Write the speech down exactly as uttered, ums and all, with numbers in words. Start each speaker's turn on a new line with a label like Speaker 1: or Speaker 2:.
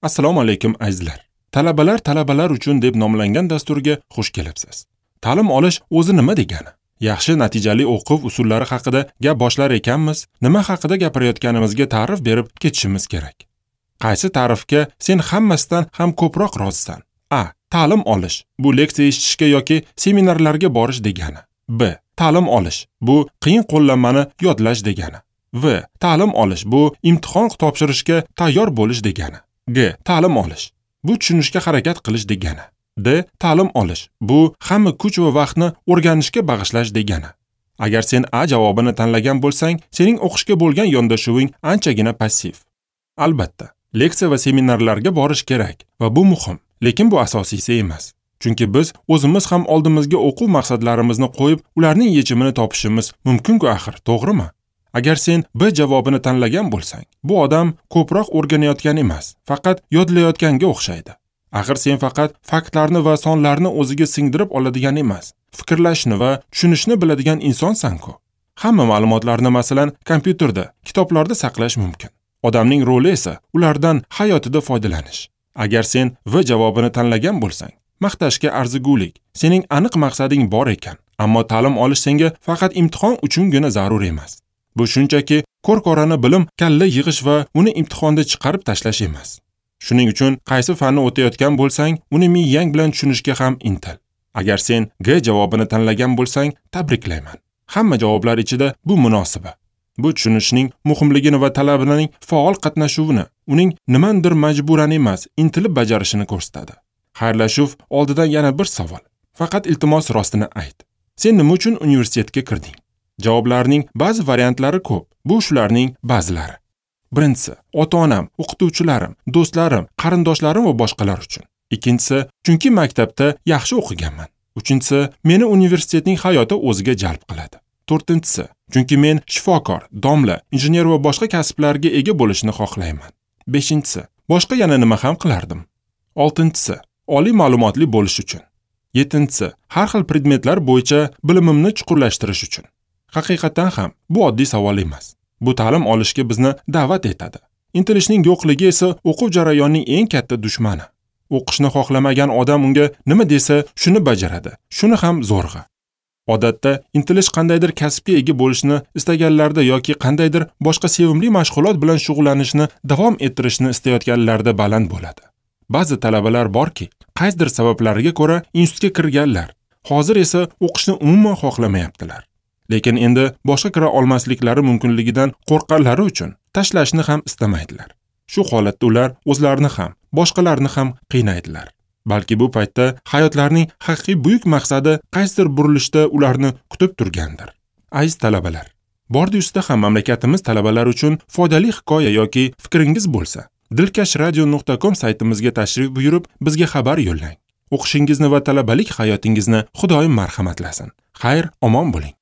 Speaker 1: Assalomu alaykum azizlar. Talabalar talabalar uchun deb nomlangan dasturga xush kelibsiz. Ta'lim olish o'zi nima degani? Yaxshi natijali o'quv usullari haqida gap boshlar ekanmiz, nima haqida gapirayotganimizga ta'rif berib ketishimiz kerak. Qaysi ta'rifga sen hammasidan ham ko'proq rozisan? A. Ta'lim olish bu leksiya eshitishga yoki seminarlarga borish degani. B. Ta'lim olish bu qiyin qo'llanmani yodlash degani. V. Ta'lim olish bu imtihon topshirishga tayyor bo'lish degani. G. Ta'lim olish bu tushunishga harakat qilish degani. D. Ta'lim olish bu hamma kuch va vaqtni o'rganishga bag'ishlash degani. Agar sen A javobini tanlagan bo'lsang, sening o'qishga bo'lgan yondashuving anchagina passiv. Albatta, leksiya va seminarlarga borish kerak va bu muhim, lekin bu asosiysi emas. Chunki biz o'zimiz ham oldimizga o'quv maqsadlarimizni qo'yib, ularning yechimini topishimiz mumkin-ku axir, to'g'rimi? Agar sen B javobini tanlagan bo'lsang, bu odam ko'proq o'rganayotgan emas, faqat yodlayotganga o'xshaydi. Axir sen faqat faktlarni va sonlarni o'ziga singdirib oladigan emas, fikrlashni va tushunishni biladigan insonsan-ku. Hamma ma'lumotlarni, masalan, kompyuterda, kitoblarda saqlash mumkin. Odamning roli esa ulardan hayotida foydalanish. Agar sen V javobini tanlagan bo'lsang, maqtashga arzigulik, sening aniq maqsading bor ekan, ammo ta'lim olish senga faqat imtihon uchungina zarur emas. Bu shunchaki ko'r-ko'rona bilim, kalla yig'ish va uni imtihonda chiqarib tashlash emas. Shuning uchun qaysi fanni o'tayotgan bo'lsang, uni miyang bilan tushunishga ham intil. Agar sen G javobini tanlagan bo'lsang, tabriklayman. Hamma javoblar ichida bu munosibi. Bu tushunishning muhimligini va talabaning faol qatnashuvini, uning nimandir majburan emas, intilib bajarishini ko'rsatadi. Xayrlashuv oldidan yana bir savol. Faqat iltimos rostini ayt. Sen nima uchun universitetga kirding? Javoblarning ba'zi variantlari ko'p. Bu shularning ba'zilari. Birinchisi, ota-onam, o'qituvchilarim, do'stlarim, qarindoshlarim va boshqalar uchun. Ikkinchisi, chunki maktabda yaxshi o'qiganman. Uchinchisi, meni universitetning hayoti o'ziga jalb qiladi. To'rtinchisi, chunki men shifokor, domla, injener va boshqa kasblarga ega bo'lishni xohlayman. Beshinchisi, boshqa yana nima ham qilardim. Oltinchisi, oliy ma'lumotli bo'lish uchun. Yettinchisi, har xil predmetlar bo'yicha bilimimni chuqurlashtirish uchun. Haqiqatan ham bu oddiy savol emas. Bu ta'lim olishga bizni da'vat etadi. Intilishning yo'qligi esa o'quv jarayonining eng katta dushmani. O'qishni xohlamagan odam unga nima desa shuni bajaradi, shuni ham zo'rg'a. Odatda intilish qandaydir kasbga ega bo'lishni istaganlarda yoki qandaydir boshqa sevimli mashg'ulot bilan shug'ullanishni davom ettirishni istayotganlarda baland bo'ladi. Ba'zi talabalar borki, qaysidir sabablarga ko'ra institutga kirganlar, hozir esa o'qishni umuman xohlamayaptilar. Lekin endi boshqa kira olmasliklari mumkinligidan qo'rqqanlari uchun tashlashni ham istamaydilar. Shu holatda ular o'zlarini ham, boshqalarni ham qiynaydilar. Balki bu paytda hayotlarining haqiqiy buyuk maqsadi qaysidir burilishda ularni kutib turgandir. Aziz talabalar, bordi ustida ham mamlakatimiz talabalari uchun foydali hikoya yoki fikringiz bo'lsa, dilkash radio nuqta com saytimizga tashrif buyurib, bizga xabar yo'llang. O'qishingizni va talabalik hayotingizni Xudoyim marhamatlasin. Xayr, omon bo'ling.